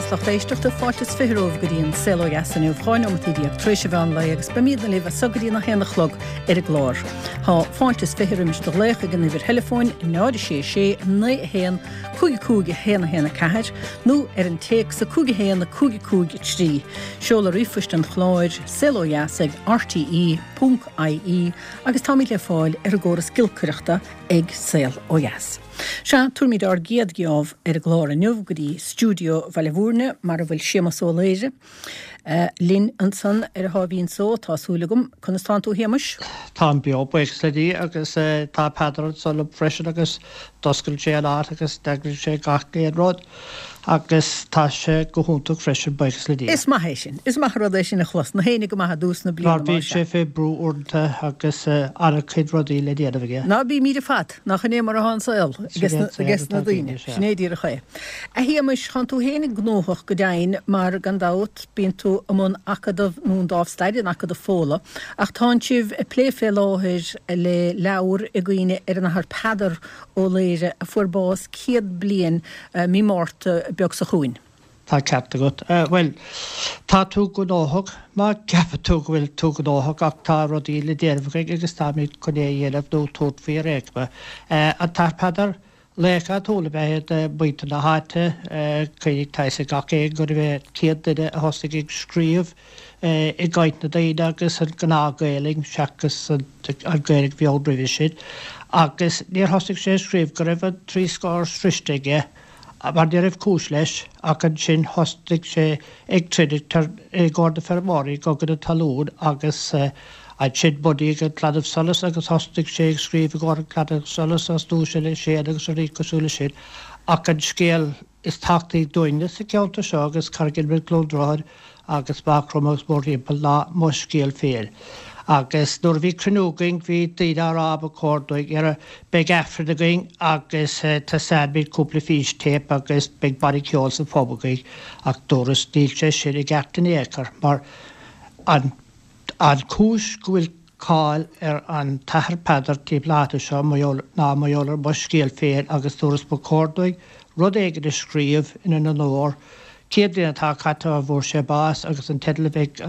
Dheas lucht éisteachta, fáilte is 20 romhaibh go dtí an Saol Ó Dheas inniu, 12 neomataí tar éis an mheán lae agus beimídne libh as so go dtí an 1 a chlog ar an gclár. Tá fáilte is 20 roimis do ghlaoch ag an uimhir theileafóin 0 6 6 9 1 5 5 1 1 4 nó ar an téacs 5 1 5 5 3. Seoladh ríomhphoist an chláir, saolodheas ag rte ponc ie agus táimid le fáil ar an gcóras giolcaireachta ag Saol Ó Dheas. Sea, tabharfaimid ár gcéad gheábh ar an gclár inniu go dtí stiúideo Bhaile Bhúirne mar a bhfuil Séamus Ó Laoire linn ansan ar a sháimhín só, tá súil agam. Conas tánn tú a Shéamuis? Táim beo, buíochas le Dia, agus tá Peadar anso liom freisin agus d'oscail sé an áit agus d'eagraigh sé gach aon rud agus tá sé go hiontach freisin, buíochas le Dia. Is maith é sin. Is maith an rud é sin a chlos. Na héinne go maith i dtús na bliana Mar bíonn sé fé brú uaireanta agus an-chuid rudaí le déanamh aige. Ná bímíd ar fad. Nach in é mar atá an saol ages na daoine. Sin é díreach é. A Shéamais, tánn tú fhéinig gnóthach go deimhin mar, gan dabht, bíonn tú i mbun Acadamh nó an Dámh Staire in Acadamh Fódhla, ach tánn sibh ag plé fé láthair le leabhar i gcuimhne ar an Athair Peadar Ó Laoire a fuair bás 100 bliain mí Márta beag seo chugainn. Tá ceart agat. Bhuel, tá tú gnóthach má cheapann tú go bhfuil tú gnóthach ach tá rudaí le déanamh againn agus táimid chun é a dhéanamh nó tabhairt faoi ar aon chuma. An tAthair Peadar, laoch áitiúil ab ea é do mhuintir na háite. Cuimhnigh, tá fhios ag gach éinne gurbh é an chéad duine a thosaigh ag scríobh i gcaint na daoine agus an gnáth-Ghaelainn seachas an Ghaeilge a bhí ann roimhe sin. Agus níor thosaigh sé ag scríobh go raibh an trí scór sroiste aige. mar ní raibh cúis leis, ach ansin thosnaigh sé ag troid i gcomhair na feirmeoirí i gCogadh na Talún agus ansin bunaíodh an Claidheamh Soluis agus thosnaigh sé ag scríobh i gcomhair an Claidheamh Soluis agus Duais Uile Séan agus rudaí cosúil leis sin. Ach an scéal is tábhachtaí dúinne sa cheantar seo agus Carraig Fhionn, Cluain Droichead agus Maigh Chromtha agus mórthimpeall ná mo scéal féin. Agus nuair a bhí cruinniú againn bhí daoine á rá ba chóir dúinn ar beidh Aifreann againn agus taispeánfaimid cúpla fístéip agus beidh banna ceoil sa phub againn ach dúras níl sé sin i gceart in aon chor mar an an chúis go bhfuil cáil ar an tAthair Peadar timpeall na háite seo ná mar gheall ar mo scéal féin agus dúras ba chóir dúinn rud éigin a scríobh ina onóir. 100 bliain atá caite ó bhfuair sé bás agus an teideal a bheidh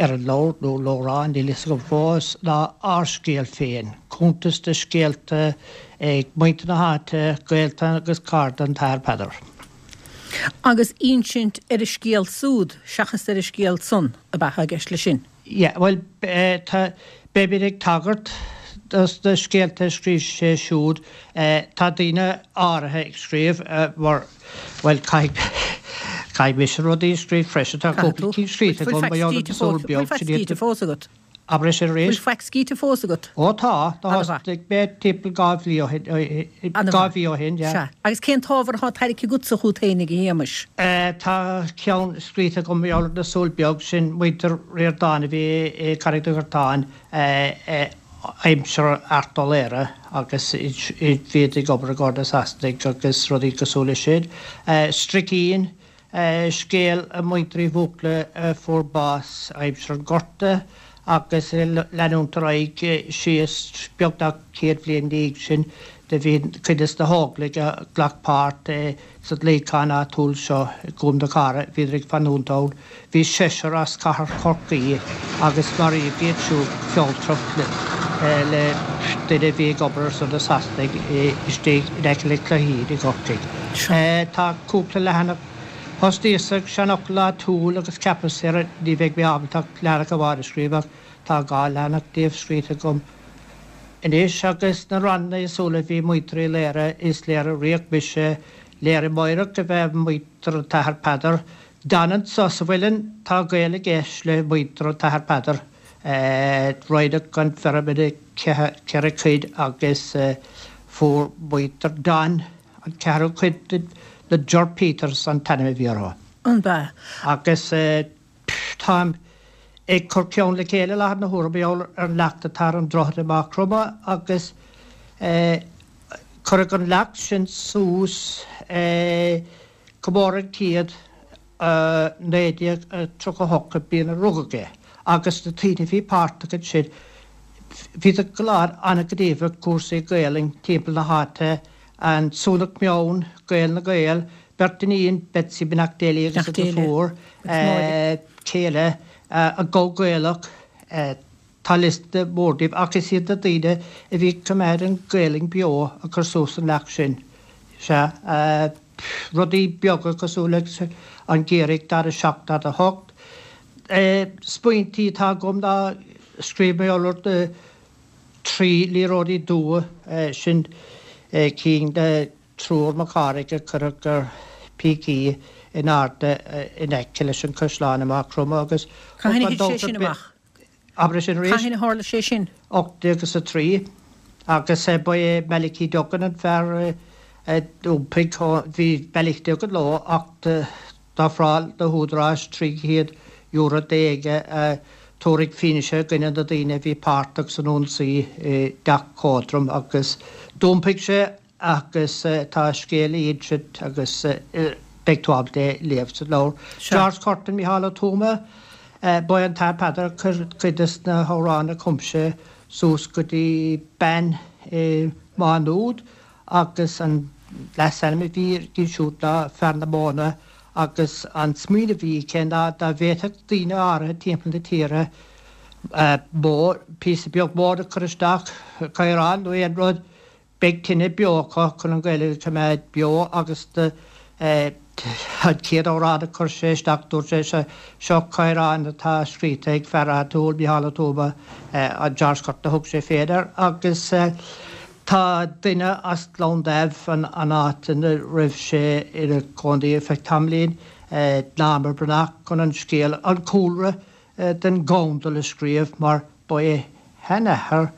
ar an leabhar, nó leabhrán, níl fhios agam fós, ná Ár Scéal Féin, cuntas de scéalta ag muintir na háite, gaolta agus cairde an tAthair Peadar. Agus insint ar a scéal súd seachas ar a scéal san ab ea atá i gceist leis sin? Yeah, bhuel, tá, beimid ag tagairt dos na scéalta a scríobh sé siúd. Tá daoine áirithe ag scríobh mar, bhuel, caithfidh, caithfidh mise rudaí a scríobh freisin. Tá cúpla cinn scríofa agam, mar gheall ar na súl beag, sin iad. fós agat? Abair é sin arís. Bhfuil faic scríte fós agat? Ó tá, tá thosnaigh mé timpeall 2 mhí ó shin, 2 mhí ó shin, yeah. Sea. Agus cén t-ábhar atá tairgthe agatsa chút fhéinig, a Shéamais? Tá ceann scríte agam mar gheall ar na Súl Beag, sin muintir Ríordáin a bhí i Carraig Dhochartáin aimsir Art Ó Laoire agus bhíodar ag obair i gcomhair na Sasanaigh agus rudaí cosúil leis sin. Stricín, Scéal muintir Uí Bhuachalla a fuair bás aimsir an Ghorta agus ag leanúint ar aghaidh síos beagnach 100 bhliain ina dhiaidh sin do bhí cuid des na hÓglaigh a ghlac páirt sa gcluichán áitiúil seo i gCúm na Cara, bhíodar ag fanúint ann. Bhí seisear as cathair Chorcaí agus maraíodh iad siúd go fealltrach le duine a bhí ag obair ar son na Sasanaigh istigh in aice le Cloichín i gCorcaigh. Tá cúpla leathanach. Thosnaíos ag seanfhocal áitiúil agus cheapas ar ní bheidh mé ábalta ach leathanach amháin a scríobh ach tá 2 leathanach díobh scríte agam anois agus na ranna éagsúla bhí muintir Uí Laoire, is Laoire Riach mise, Laoire Meidhreach ab ea muintir an tAthair Peadar, Don anso sa mhuileann tá gaol i gceist le muintir an tAthair Peadar. Roinneadh an feirm ina cheithre chuid agus fuair muintir Don an ceathrú cuid de, na Jur Peters an t-ainm a bhí orthu. An b'ea? Agus táim ag cur ceann le chéile i láthair na huaire mar gheall ar an leacht atá ar an droichead i Maigh Chromtha agus cuireadh an leacht sin suas Comóradh 100, 1938 an bhliain a rugadh é agus na daoine a bhí páirteach ansin, bhíodar go léir an-ghníomhach i gcúrsaí Gaelainn timpeall na háite, an Sionnach Meann, Gael na Gael. Beirt iníon, Betsy Beannacht Dé léi agus a deirfiúr, céile, an Gabha Gaelach, tá liosta mór díobh ach is iad na daoine a bhí ag coimeád an Ghaelainn beo a chuir suas an leacht sin. Sea, rudaí beaga cosúil leis an gCiarraíoch 47, 48. Smaointí atá agam ná scríobh mé ar 3 liathróidí dubha, sin cinn de Triúr Mac Cárthaigh a cuireadh ar pící in airde in aice leis an chaisleán i Maigh Chromtha agus Cathain a thit sé sin amach? Abair é sin arís. Cathain a tharla sé sin? 1803 agus ba é Malachy Duggan an fear a d'iompaigh, bhí Malachy Duggan leo ach D'ofráil na húdaráis €300 d'éinne a thabharfadh fianaise i gcoinne na daoine a bhí páirteach san ionsaí i dTeach Códroim agus d'iompaigh sé agus tá a scéal le insint agus beidh tú ábalta é a léamh sa leabhar. George Curtin, Micheál Ó Tuama, Ba é an tAthair Peadar a chuir cuid des na hamhráin a chum sé suas go dtí bean i Má Nuad agus an leasainm a bhí uirthi siúd ná Fear na Móna agus an smaoineamh a bhí aici ná dá bhféadfadh daoine áirithe timpeall na tíre bó, píosa beag móna a chur isteach, caorán nó aon rud, beidh tine beo acu chun an Ghaeilge a choimeád beo agus an chéad amhrán a chuir sé isteach dúirt sé seo caorán atá scríte ag fear áitiúil, Micheál Ó Tuama, an George Curtin a thug sé féin air agus tá duine as Gleann Damh, an áit ina raibh sé ina chónaí ar feadh tamaillín, Norma Breathnach, chun an scéal, an cúlra den Ghondal a scríobh mar ba é a sheanathair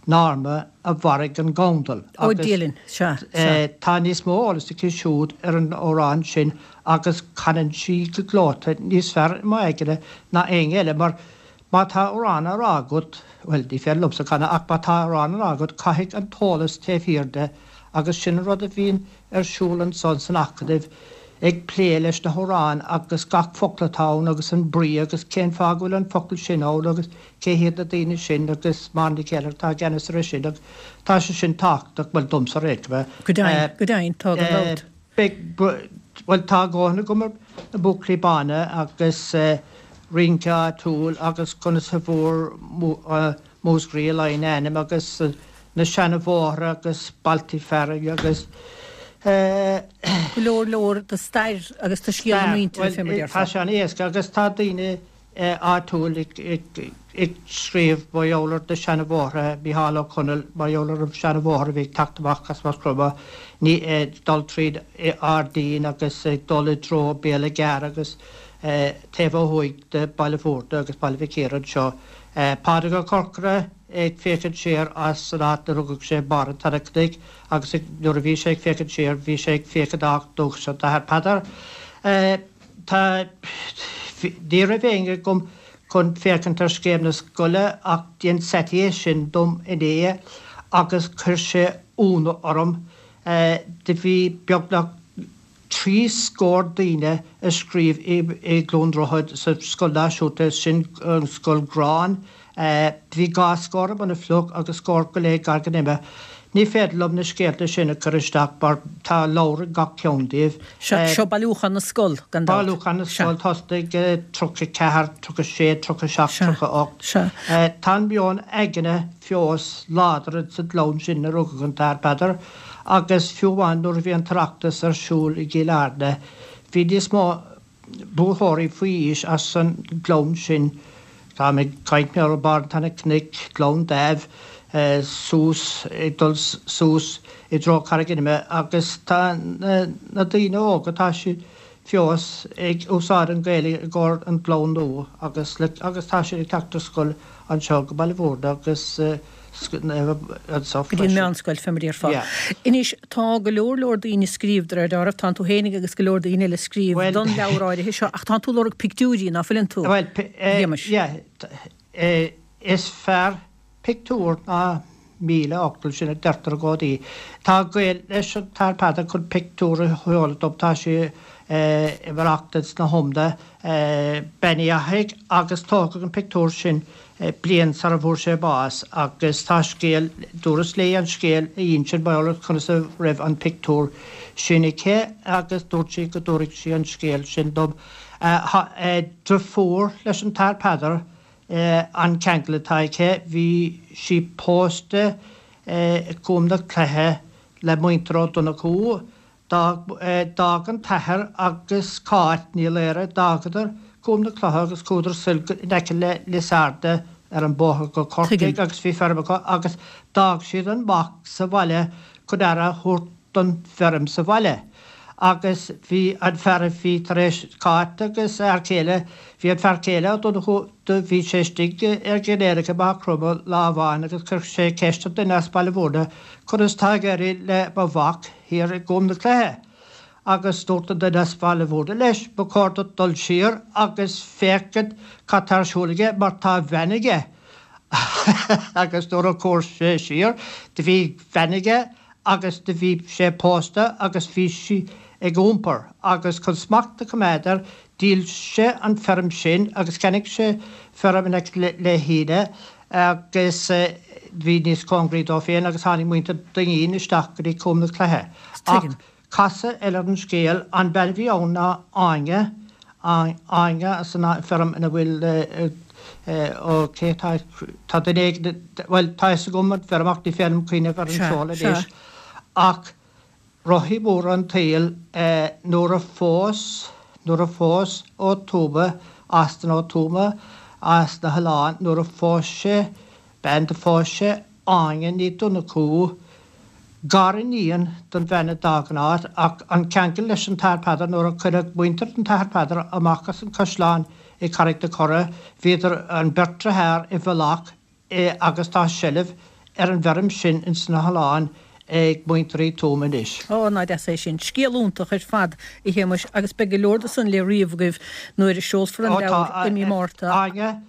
Norma a mharaigh an Gondal Ó agus Dialann, sea, sea. tá níos mó eolais aici siúd ar an amhrán sin agus canann sí go gleoite níos fearr i m'aigne ná éinne eile mar má tá amhrán á rá agat, bhuel ní féidir liomsa canadh ach má tá amhrán á rá agat caithfidh an t-eolas taobh thiar de agus sin an rud a bhíonn ar siúl ansan san Acadamh ag plé leis na hamhráin agus gach focal atá ann agus an brí agus cén fáth go bhfuil an focal sin ann agus cé hiad na daoine sin agus Máire Nic Céile atá i gceannas air sin agus tá sé sin tábhachtach, bhuel domsa ar aon chuma. Go deimhin, go deimhin, tá gan dabht. Beidh, bhuel tá a dhóthain agam ar na Buachaillí Bána agus rince áitiúil agus conas a bhfuair Múscraí Laighean a ainm agus na seana-bhóithre agus bailtí fearainn agus. Go leor leor de stair agus de scéal na muintire fé mar a déarfá. Tá sé an-éasca agus tá daoine áitiúil ag scríobh mar gheall ar na seana-bhóithre, Micheál Ó Conaill mar gheall ar an seana-bhóthar a bhí ag teacht amach as Maigh Chromtha, ní ag dul tríd Ard Fhinn agus ag dul i dtreo Béal an Ghearr agus taobh ó thuaidh de Baile Bhúirne agus Baile Mhic Íre anseo. Pádraig Ó Corcora ag féachaint siar as an áit 'na rugadh sé, Barr an tSeanchnoic, agus nuair a bhí sé ag féachaint siar, bhí sé ag féachaint á dúchas an tAthair Peadar. Tá, ní raibh éinne agam chun féachaint ar scéim na scoile ach dhein Saidí é sin dom inné agus chuir sé ionadh orm. Do bhí beagnach 30 daoine a scríobh i gCluain Droichead sa scoil náisiúnta, sin an scoil gráin. Bhí dhá scór i mBun an Phluich agus scór go leith i gCarraig an Ime. Ní féidir liom na scéalta sin a chur isteach mar tá leabhar ag gach ceann díobh. Seo bailiúchán na scol, gan dabht. Bailiúchán na scol, tosnaigh 34, 36, 37, 38. Tá an meon aigne fós láidir ins an gclann sin a rugadh an tAthair Peadar. Agus fiú amháin nuair a bhí an tOireachtas ar siúl i gCill Airne, bhí níos mó buaiteoirí faoi aois as an gclann sin, táim ag caint ar Barr an tSeanchnoic, Gleann Damh, suas, ag dul suas i dtreo Carraig an Ime, agus tá na daoine óga, tá siad fós ag úsáid an Ghaeilge i gcomhair an ghlúin nua agus agus tá siad ag teacht ar scoil anseo go Baile Bhúirne agus anseo Go dtí an meánscoil, fé mar a déarfá. Anois, tá go leor leor daoine ag scríobh, de réir dealraimh, tánn tú fhéinig agus go leor daoine eile ag scríobh don leabhar áirithe seo, ach tánn tú ag lorg pictiúirí, ná fuileann tú? Bhuel, yeah, is fearr pictiúr ná 1000 fhocal, sin a deirtear i gcónaí. Tá gaol leis an tAthair Peadar chun pictiúr a sheoladh dom, tá sé i maireachtaint sna hIomda, Bean Uí Fhathaigh, agus tógadh an pictiúr sin bliain sara bhfuair sé bás agus tá scéal, dúras léi an scéal a insint mar gheall ar conas a raibh an pictiúr. sin aici agus dúirt sí go dtabharfadh sí an scéal sin dom. Tá deirfiúr leis an tAthair Peadar an ceangal atá aici, bhí sí pósta i gCúm na Cloiche le muintir Ó Donnchú, D'fhág an t-athair agus Cáit Ní Laoire, d'fhágadar Cúm na Cloiche agus chuadar soir in aice le Lios Arda ar an bóthar go Corcaigh agus bhí feirm acu agus d'fhág siad an mac sa bhaile chun aire a thabhairt don bhfeirm sa bhaile. Agus bhí an fear a bhí tar éis Cáit agus a fhear céile, bhí an fear céile Ó Donnchú, do bhí sé istigh ar dhinnéar i Maigh Chromtha lá amháin agus chuir sé ceist ar duine as Baile Mhúirne conas tá ag éirí le mo mhac thiar i gCúm na Cloiche agus dúirt an duine as Baile Mhúirne leis ba chóir duit dul siar agus féachaint cad tá ar siúl aige mar tá bean aige agus nuair a chuaigh sé siar do bhí bean aige agus do bhí sé pósta agus bhí sí ag iompar agus chun smacht a choimeád air Dhíol sé an feirm sin agus cheannaigh sé feirm in aice le hÍne agus bhí níos cóngaraí dó féin agus tháinig muintir Duinnín isteach go dtí Cúm na Cloiche. Ach casadh eile ar an scéal, an bean a bhí ann ná Áine, Áine as an feirm ina bhfuil ó cé tá, tá duine éigin, bhuel tá fhios agam an feirm ach ní féidir liom cuimhneamh ar an seoladh anois ach Rothaí móra an tsaoil nuair a phós, nuair a phós Ó Tuama, Austin Ó Tuama as na hOileáin, nuair a phós sé bean, do phós sé Áine Ní Dhonnchú, gariníon don bhean a d'fhág an áit, ach an ceangal leis an tAthair Peadar, nuair a cuireadh muintir an tAthair Peadar amach as an chaisleán i Carraig na Cora, bhíodar, an bheirt dearthár i bhfolach é agus tá seilbh ar an bhfeirm sin ins na hOileáin ag muintir Uí Tuama anois. Ó, ná deas é sin. Scéal iontach ar fad, a Shéamuis, agus beidh go leor de san le ríomh agaibh nuair a seolfar an leabhar i mí Márta. Áine,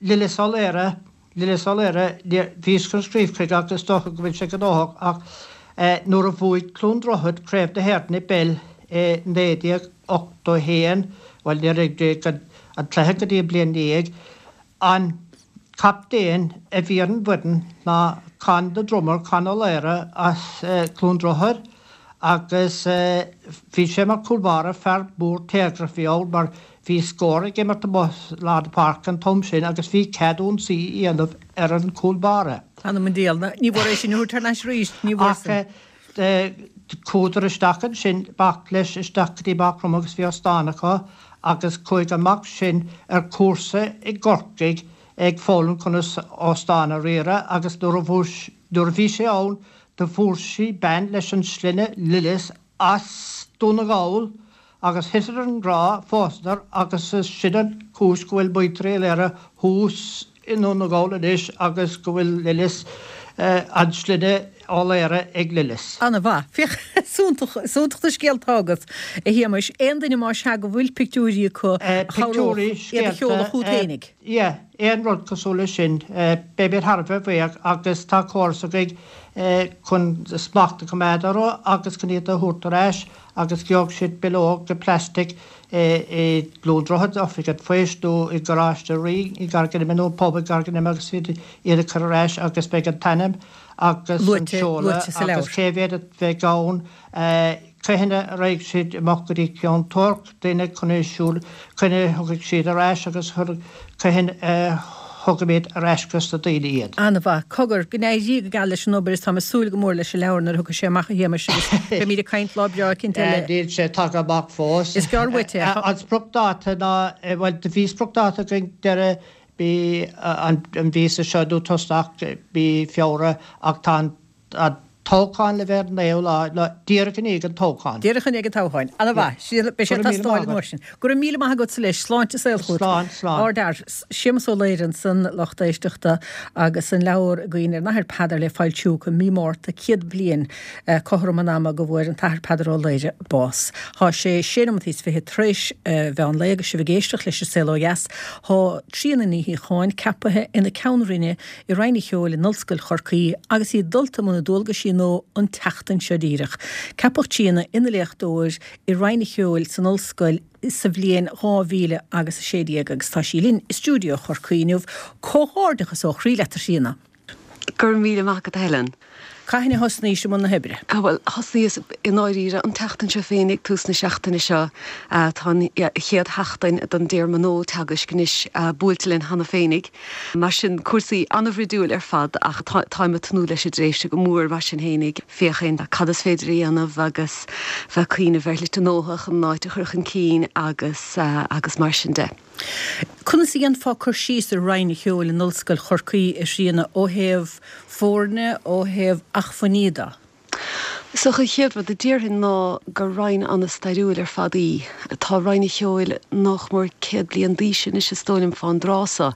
Lillis Ó Laoire, Lillis Ó Laoire, bhíos chun scríobh chuige ach is dócha go bhfuil sé gnóthach ach nuair a bhuaigh Cluain Droichead Craobh na hÉireann i bpeil i 1981, bhuel níor imríodh an cluiche go dtí an bliain ina dhiaidh, An captaen a bhí ar an bhfoireann ná Con the Drummer, Con Ó Laoire as Cluain Droichead agus bhí sé mar chúl báire, fear mór téagrach a bhí ann mar bhí scór ag imirt amuigh i lár na páirce an t-am sin agus bhí cead ionsaí a dhéanamh ar an chúl báire. Th'anam 'on diabhal, ní bhfuair é sin a thabhairt thar n-ais arís, ní bhfuair san. Ach chuadar isteach ansin, mac leis isteach go dtí Maigh Chromtha agus bhí óstán acu agus chuaigh an mac sin ar chúrsa i gCorcaigh ag foghlaim conas óstán a riaradh agus nuair a nuair a bhí sé ann do fuair sí bean leis an sloinne Lillis as Dún na nGall agus thiteadar i ngrá, phósadar agus is sin an chúis go bhfuil muintir Uí Laoire thuas i nDún na nGall anois agus go bhfuil Lillis, an sloinne Ó Laoire ag Lillis. Ana mhaith. Féach, is iontach, is iontach na scéalta atá agat, a Shéamais. Aon duine más ea go bhfuil pictiúirí acu a chabhródh iad a sheoladh chugat fhéinig. Yeah, aon rud cosúil leis sin, beimid thar a bheith buíoch agus tá córas againn chun smacht a choimeád orthu agus chun iad a thabhairt ar ais agus gheobhaidh siad bileog de plastic i gCluain Droichead, Oifig an Phoist nó i gColáiste Rí i gCarraig an Ime nó an pub i gCarraig an Ime agus iad a chur ar ais agus beidh an t-ainm agus an seoladh agus cé mhéad a bheidh ann. Cathain a raghaidh siad amach go dtí Ceann Toirc, duine chun é siúl, cathain a thiocfaidh siad ar ais agus cathain a thugaimid ar ais dos na daoine iad. An-mhaith. Cogar, go n-éirí go geal leis an obair is táim ag súil go mór leis an leabhar nuair a thiocfaidh sé amach a Shéamais agus beimid ag caint lá breá eicínt eile. Níl sé tagtha amach fós. Is gearr uait é. An spriocdháta ná, bhuel, do bhí spriocdháta againn deireadh mí an mhíosa seo nó tosach mí Feabhra ach tá an An toghchán le bheith ar an naoú lá, lá díreach i ndiaidh an toghcháin. Díreach i ndiaidh an toghcháin. Ana mhaith. Beidh sé ag teastáil an uair sin. Go raibh míle maith agatsa leis. Sláinte is saol chugat. Slán, slán. Ardfhear. Séamus Ó Laoire ansan, lucht éisteachta, agus an leabhar i gcuimhne ar an Athair Peadar le foilsiú acu mí Márta, 100 bliain cothrom an ama go bhfuair an tAthair Peadar Ó Laoire bás. Thá sé sé nóimeataí is fichead tar éis mheán lae agus sibh ag éisteacht leis an Saol Ó Dheas. Thá Tríona Ní Shíocháin ceapaithe ina Ceann Roinne i Roinn an Cheoil in Ollscoil Chorcaí agus í dulta i mbun a dualgaisí nua an tseachtain seo díreach. Ceapadh Tríona ina léachtóir i Roinn an Cheoil san Ollscoil sa bhliain 2000 agus 16 agus tá sí linn i stiúideo Chorcaí inniu. Comhghairdeachas ó chroí leat a Thríona. Go raibh míle maith agat a Helen. Cathain a thosnaís i mbun na hoibre? Bhuel, thosnaíos i ndáiríre an tseachtain seo féin, ag tús na seachtaine seo. Tá an chéad sheachtain don dtéarma nua teagaisc anois buailte linn cheana féinig. Mar sin, cúrsaí an-bhruidiúil ar fad ach táim ag tnúth leis an dtréimhse go mór mar sin féinig, féachaint cad is féidir a dhéanamh agus bheith ag cuimhneamh ar shlite nua chun an áit a chur chun cinn agus agus mar sin de. Conas a dhéanfá cur síos ar Roinn an Cheoil in Ollscoil Chorcaí, a Thríona, ó thaobh foirne, ó thaobh achmhainní de? Is dócha an chéad rud a déarfainn ná gur roinn an-stairiúil ar fad í. Tá Roinn an Cheoil nach mór 100 bliain d'aois anois is dóigh liom fán dtráth so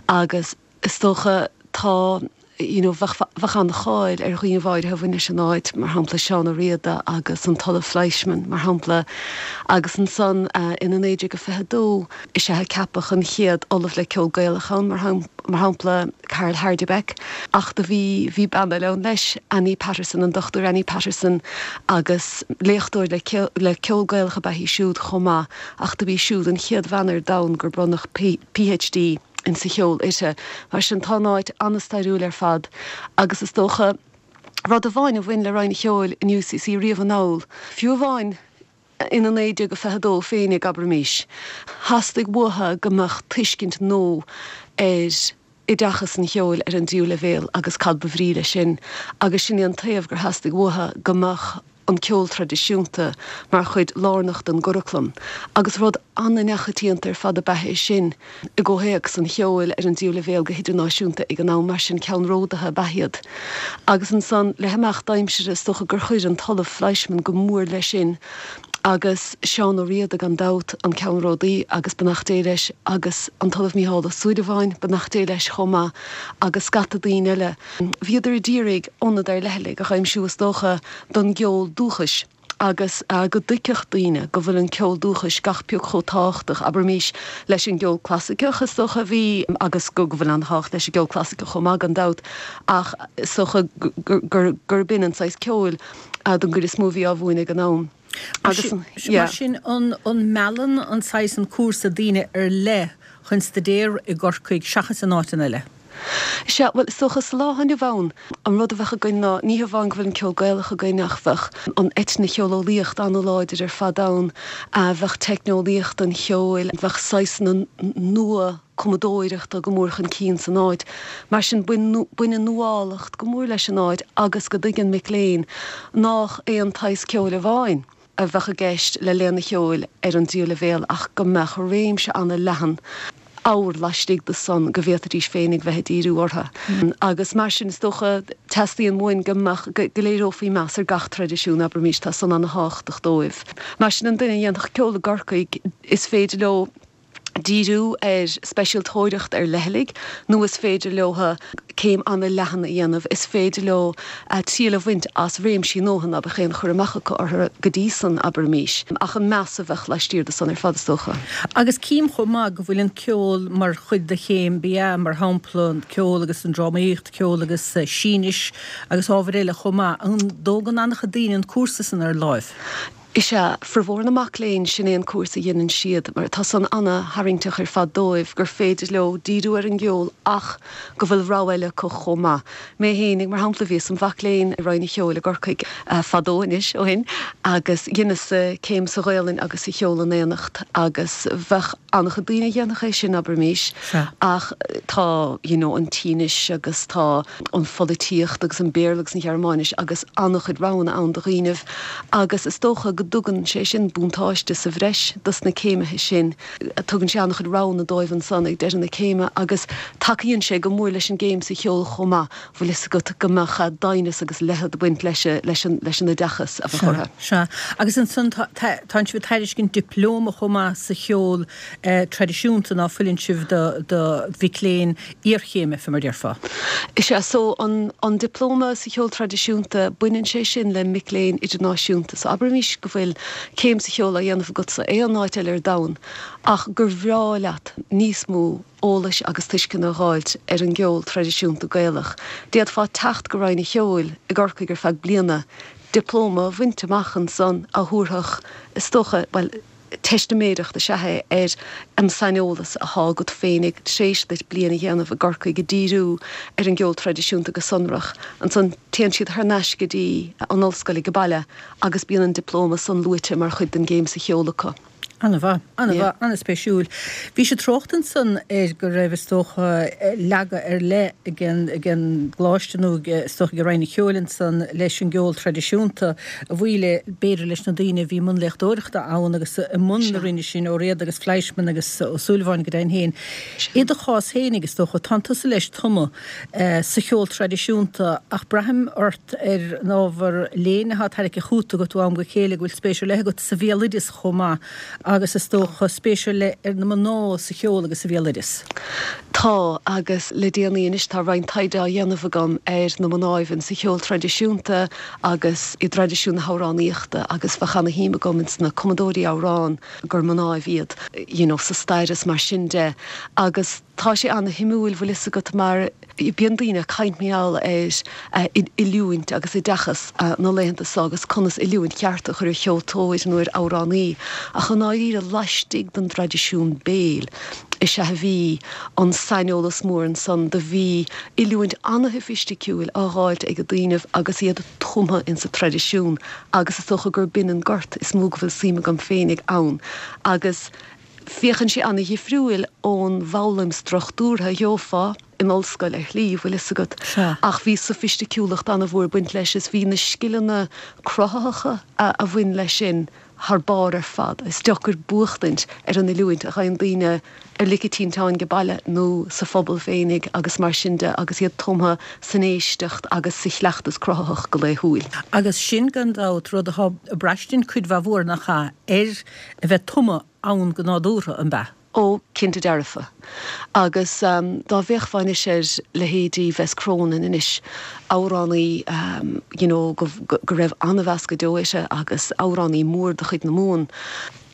agus is dócha tá you know bheadh bheadh an-cháil ar dhaoine áirithe a bhain leis an áit, mar shampla Seán Ó Riada agus an tOllamh Fleischmann mar shampla agus ansan ina 1922 is ea a ceapadh an chéad Ollamh le Ceol Gaelach ann mar mar shampla Karl Hardebeck ach do bhí bhí bean eile ann leis, Annie Patterson, an Dr Annie Patterson agus léachtóir le le ceol Gaelach ab ea í siúd chomh maith ach do b'í siúd an chéad bhean ar domhan gur bronnadh PhD insa cheol uirthi. Mar sin tá an áit an-stairiúil ar fad agus is dócha rud amháin a bhain le Roinn an Cheoil in UCC riamh anall, fiú amháin ina 1922 féinig, abraimís, theastaigh uathu go mbeadh tuiscint nua ar oideachas an cheoil ar an dtríú leibhéal agus cad ba bhrí leis sin agus sin é an taobh gur theastaigh uathu go mbeadh an ceol traidisiúnta mar chuid lárnach den gcuraclam agus rud an-neachoitianta ar fad ab ea é sin i gcomhthéacs an cheoil ar an dtríú leibhéal go hidirnáisiúnta ag an am, mar sin ceannródaithe ab ea iad. Agus ansan, le himeacht aimsire, is dócha gur chuir an tOllamh Fleischmann go mór leis sin, agus Seán Ó Riada, gan dabht, an ceannródaí, agus beannacht Dé leis, agus an tOllamh Mícheál Ó Súilleabháin, beannacht Dé leis chomh maith, agus scata daoine eile. Bhíodar a d'iarraidh ionad ar leithligh a dh'aimsiú, is dócha, don gceol dúchais. agus go dtuigfeadh daoine go bhfuil an ceol dúchais gach pioc chomh tábhachtach, abraimís, leis an gceol clasaiceach, is dócha a bhí, agus go bhfuil an-tábhacht leis an gceol clasaiceach chomh maith, gan dabht, ach is dócha gurb in an saghas ceoil don gcuid is mó a bhí á mhúineadh ag an am. Agus, yeah. Mar sin, an meallann an saghas an cúrsa daoine ar leith chun staidéar i gCorcaigh seachas in áiteanna eile? Sea, bhuel, is dócha sa lá atá inniu ann, an rud a bheadh againn ná, ní hamháin go bhfuil an ceol Gaelach againn ach bheadh an eitnicheoleolaíocht an-láidir ar fad ann, bheadh teicneolaíocht an cheoil, bheadh saghsanna nua cumadóireachta go mór chun cinn san áit. Mar sin, baineann nuálacht go mór leis an áit agus go dtuigeann mic léinn nách aon tsaghas ceoil amháin. a bheadh i gceist le léann an cheoil ar an dtríú leibhéal ach go mbeadh réimse an-leathan ábhar laistigh de san go bhféadfaidís féinig bheith ag díriú orthu. Agus mar sin, is dócha, teastaíonn uainn go mbeadh, go léireofaí meas ar gach traidisiún, abraimis, tá san an-thábhachtach dóibh. Mar sin, an duine a dhéanfadh ceol i gCorcaigh, is féidir leo, díriú ar speisialtóireacht ar leithligh nó is féidir leo céim an-leathan a dhéanamh, is féidir leo triail a bhaint as réimsí nua ná beadh aon chur amach acu orthu go dtí san, abraimis, ach an meas a bheadh laistiar de san ar fad, is dócha. Agus cím chomh maith go bhfuil an ceol mar chuid de chéim BA, mar shampla, an ceol agus an drámaíocht, ceol agus Sínis agus ábhair eile chomh maith. An dtógann an-chuid daoine an cúrsa san ar láimh? Is ea, formhór na mac léinn, sin é an cúrsa a dheineann siad, mar tá san ana-tharraingteach ar fad dóibh, gur féidir leo díriú ar an gceol ach go bhfuil rogha eile acu chomh maith. Mé fhéinig, mar shampla, bhíos im mhac léinn i Roinn an Cheoil i gCorcaigh fadó anois ó shin agus dheineas céim sa Ghaolainn agus sa cheol in éineacht agus bheadh an-chuid daoine a dhéanfadh é sin, abraimis, ach tá you know an tSínis agus tá an pholaitíocht agus an Béarla agus an Ghearmáinis agus an-chuid roghanna ann do dhaoinibh agus is dócha go dtugann sé sin buntáiste sa bhreis dos na céimithe sin. Tugann sé an-chuid roghanna dóibh ansan ag deireadh na céime agus tacaíonn sé go mór leis an gcéim sa cheol chomh maith, bhfuil fhios agat, go mbeadh doimhneas agus leithead ag baint leis leis an leis an oideachas a bheadh orthu. Sea. Agus ansan tá tánn sibh ag tairiscint dioplóma chomh maith sa cheol traidisiúnta ná fuileann sibh do do mhic léinn iarchéime, fé mar déarfá. Is ea, so an an dioplóma sa cheol traidisiúnta, baineann sé sin le mic léinn idirnáisiúnta. So abraimis go bhfuil céim sa cheol á dhéanamh agatsa aon áit eile ar domhan ach gur bhreá leat níos mó eolais agus tuisceana a dh'fháilt ar an gceol traidisiúnta Gaelach. D'fhéadfá teacht go Roinn an Cheoil i gCorcaigh ar feadh bliana, dioplóma a bhaint amach ansan a thabharfadh, is dócha, bhuel. Teistiméireacht is ea é ar an saineolas athá agat féinig tréis duit bliain a dhéanamh i gCorcaigh ag díriú ar an gceol traidisiúnta go sonrach. Ansan téann siad thar n-ais go dtí an ollscoil age baile agus bíonn an dioplóma san luaite mar chuid den gcéim sa cheol acu. An-mhaith, an-mhaith, an-spéisiúil. Bhís ag trácht ansan ar go raibh, is dócha, leagadh ar leith ag an, ag an gcoláiste nó ag, is dócha, ag Roinn an Cheoil ansan leis an gceol traidisiúnta, a bhuí le, b'fhéidir, leis na daoine a bhí i mbun léachtóireachta ann agus i mbun na Roinne sin, Ó Riada agus Fleischmann agus Ó Súilleabháin go deimhin féin. I do chás féinig, is dócha, tánn tusa leis tumtha sa cheol traidisiúnta ach braithim ort ar an ábhar léinn atá tarraicthe chugat agat ó am go chéile go bhfuil spéis ar leith agat sa bhéaloideas chomh maith agus is dócha spéis ar leith ar na mná sa cheol agus sa bhéaloideas. Tá, agus le déanaí anois tá roinnt taighde á dhéanamh agam ar na mnáibh insa cheol traidisiúnta agus i dtraidisiún na hamhránaíochta agus bheadh ana-shuim agam ins na cumadóirí amhrán gur mnáibh iad, you know, sa stair is mar sin de agus. Tá sé ana-shuimiúil, bhfuil fhios agat, mar bíonn daoine ag caint mar gheall ar oiliúint agus oideachas na laethanta seo agus conas oiliúint cheart a chur ar cheoltóir nó ar amhránaí, ach i ndáiríre laistigh den dtraidisiún béil is ea a bhí an saineolas mór ansan. Do bhí oiliúint ana-shoifisticiúil á dh'fháilt ag daoinibh agus iad tumtha insa traidisiún agus is dócha gur b'in an gort is mó go bhfuil suim agam féinig ann agus Féachann sé ana-dhifriúil ón bhfoghlaim struchtúrtha a gheofá in ollscoil ar shlí, bhfuil fhios agat. Ach bhí soifisticiúlacht ana-mhór ag baint leis is bhí na scileanna cruthaitheacha a bhain leis sin thar barr ar fad. Is deacair buachtaint ar an oiliúint a gheibheann daoine ar lic an tinteáin age baile nó sa phobal féinig agus mar sin de agus iad tumtha san éisteacht agus sa chleachtas cruthaitheach go laethúil. Agus sin, gan dabht, rud atá ag braistint cuid mhaith mhór, nach ea, ar a bheith tumtha ann go nádúrtha, an b'ea? Ó, cinnte dearfa. Agus dá bhféachfá anois ar leithéidí Bess Cronin anois, amhránaí you know go go raibh an-mheas go deo uirthi agus amhránaí mór de chuid na Mumhan,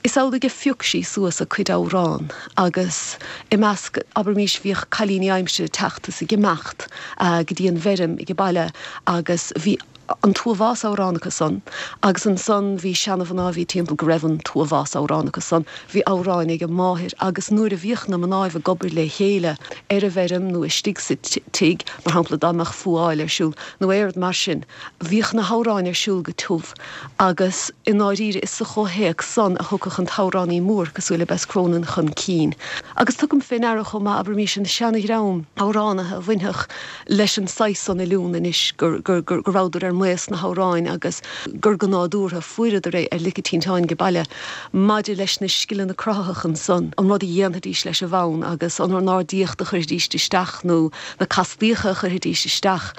is amhlaidh a phioc sí suas a cuid amhrán agus i measc, abraimis, bhíodh cailíní aimsire ag teacht is ag imeacht go dtí an bhfeirm age baile agus bhí an t-uathbhás amhrán acu san, agus ansan bhí seana-mhná a bhí timpeall go raibh an t-uathbhás amhrán acu san, bhí amhráin ag a máthair agus nuair a bhíodh na mnáibh ag obair lé chéile ar an bhfeirm nó istigh sa tigh, mar shampla dá mbeadh fuáil ar siúl nó aon rud mar sin, bhíodh na hamhráin ar siúl go tiubh agus i ndáiríre is sa chomhthéacs san a thiocfadh an t-amhránaí mór cosúil le Bess Cronin chun cinn. Agus tugaim fé ndeara chomh maith, abraimis, an seana-dhream amhránaithe a bhainfeadh leis an saghas san oiliúna anois, go rabhadar ar maos sna hamhráin agus gur go nádúrtha fuaireadar é ar lic an tinteáin age baile. Maidir leis na scileanna cruthaitheacha ansan, an rud a dhéanfaidís leis an bhfonn agus an ornáidíocht a chuirfidís isteach nó na castaíocha a chuirfidís isteach,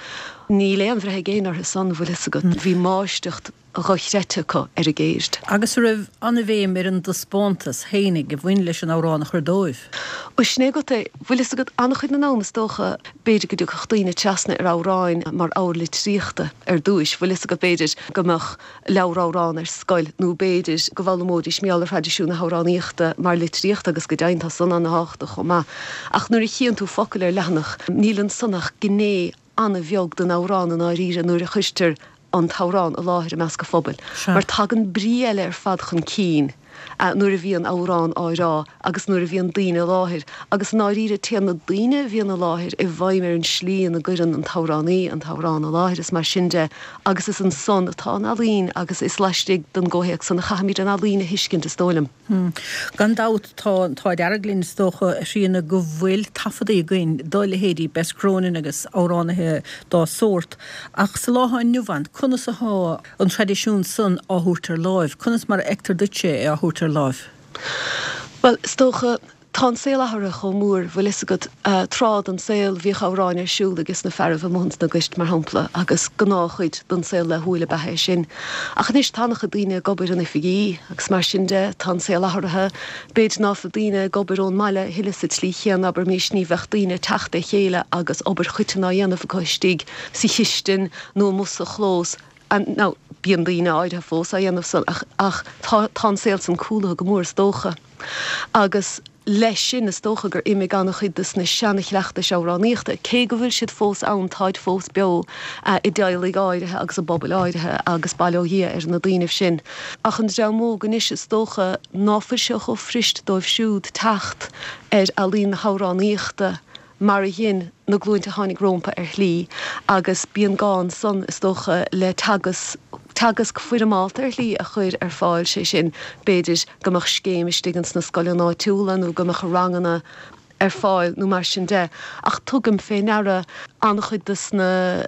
níl aon bhreith ag éinne orthu san, bhfuil fhios agat. Bhí máistreacht. dhochreidte acu ar a gceird. Agus an raibh an-bhéim ar an dtaispeántas fhéinig a bhain leis an amhrán a chur dóibh. Ó sin é agat é. Bhfuil fhios agat, an-chuid den am is dócha, b'fhéidir go dtiocfadh daoine trasna ar amhráin mar ábhar litríochta ar dtúis. Bhfuil fhios agat, b'fhéidir go mbeadh leabhar amhrán ar scoil nó b'fhéidir go bhfoghlaimeoidís mar gheall ar thraidisiún na hamhránaíochta mar litríocht agus go deimhin tá san an-thábhachtach chomh maith. Ach nuair a chíonn tú focail ar leathanach, níl ansan ach gné an-bheag den amhrán i ndáiríre nuair a chuirtear an t-amhrán i láthair i measc an phobail, mar tagann brí eile ar fad chun cinn nuair a bhíonn amhrán á rá agus nuair a bhíonn daoine i láthair, agus i ndáiríre téann na daoine a bhíonn i láthair i bhfeidhm ar an slí ina gcuireann an t-amhránaí an t-amhrán i láthair is mar sin de, agus is ansan atá an ealaín agus is laistigh den gcomhthéacs san a chaithfimid an ealaín a thuiscint is dóigh liom. Gan dabht, tá an t-ádh dearg linn, is dócha, a Thríona, go bhfuil taifeadaí againn do leithéidí Bess Cronin agus amhránaithe dá sórt. Ach sa lá atá inniu ann, conas atá an traidisiún san á thabhairt ar láimh? Conas mar a fheictear duitse é á thabhairt ar láimh? Bhuel, is dócha, Tá an saol athraithe chomh mór, bhfuil fhios agat. Tráth den saol, bhíodh amhráin ar siúl ages na fearaibh amuigh ins na goirt, mar shampla, agus gnáthchuid den saol laethúil ab ea é sin. Ach anois tá an-chuid daoine ag obair in oifigí agus mar sin de, tá an saol athraithe. B'fhéidir ná fuil daoine ag obair ón mbaile a thuilleadh sa tslí chéanna, abraimis, ní bheadh daoine ag teacht le chéile agus obair choiteann á dhéanamh acu istigh sa chistin nó amuigh sa chlós. Now, bíonn daoine áirithe fós á dhéanamh san ach, ach tá, tá an saol san cúlaithe go mór is dócha. Agus. leis sin, is dócha gur imigh an-chuid de na seana-chleachtais amhránaíochta, cé go bhfuil siad fós ann, táid fós beo i dteaghlaigh áirithe agus i bpobail áirithe agus bail ó Dhia ar na daoinibh sin. Ach an dream óg anois, is dócha ná fuil sé chomh fuirist dóibh siúd teacht ar ealaín na hamhránaíochta mar a dhein na glúinte a tháinig rómpa ar shlí agus bíonn gá ansan, is dócha, le teagasc, teagasc foirmeálta ar shlí a chur ar fáil, sé sin, b'fhéidir go mbeadh scéim istigh ins na scoileanna áitiúla nó go mbeadh ranganna ar fáil nó mar sin de. Ach tugaim fé ndeara an-chuid dos na.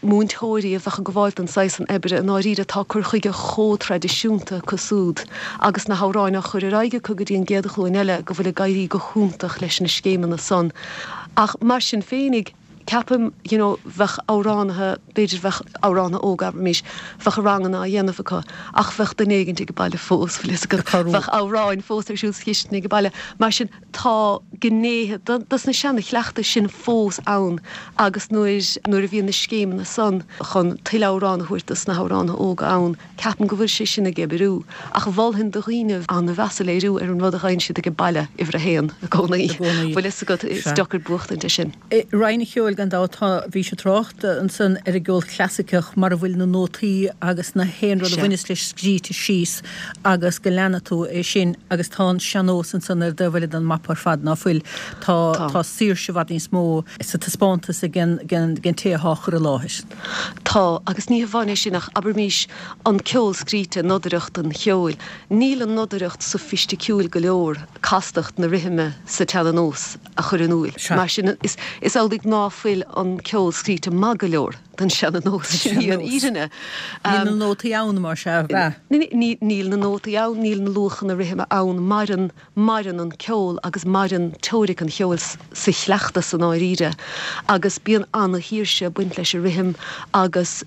múinteoirí a bheadh ag gabháil don saghas san oibre, i ndáiríre tá cur chuige chomh traidisiúnta acu súd agus na hamhráin á chur ar aghaidh acu go dtí an gcéad ghlúin eile go bhfuil ag éirí go hiontach leis na scéimeanna san. Ach mar sin féinig, ceapaim, you know, bheadh amhránaithe, b'fhéidir bheadh amhránaithe óga, abraimis, bheadh ranganna á dhéanamh acu ach bheadh duine éigint ag baile fós, bhfuil fhios agat, bheadh amhráin fós ar siúl sa chistin ag baile. Mar sin, tá gnéithe dos na seana-chleachtais sin fós ann agus nuair nuair a bhíonn na scéimeanna san chun tuilleadh amhrán a thabhairt dos na hamhránaithe óga ann, ceapaim go bhfuil sé sin ag oibriú. Ach mholfainn do dhaoine an-mheas a léiriú ar an rud a gheibheann siad age baile, uimhir a haon, i gcónaí. Bhfuil fhios agat, is deacair buachtaint air sin. I Roinn an Cheoil, gan dabht, tá, bhís ag trácht ansan ar an gceol clasaiceach mar a bhfuil na nótaí agus na haon rud a bhaineas leis scríte síos agus go leanfaidh tú é sin agus tá an sean-nós ansan ar an dtaobh eile den mapa ar fad, ná fuil? Tá, tá saoirse i bhfad níos mó sa taispeántas ag an, ag an, ag an té athá á chur i láthair. Tá, agus ní hamháin é sin ach abraimís an ceol scríte, nodaireacht an cheoil, níl an nodaireacht sofaisticiúil go leor castacht na rithime sa tseana-nós. a chur in iúil. Mar sin, is amhlaidh ná fuil an ceol scríte maith go leor don seana-nós, sin í an fhírinne. Níl na nótaí ann, mar sea, ab ea? Níl na nótaí ann, níl na luachanna rithime ann, maireann, maireann an ceol agus maireann teoiric an cheoil sa chleachtas i ndáiríre agus bíonn ana-shaoirse ag baint leis an rithim agus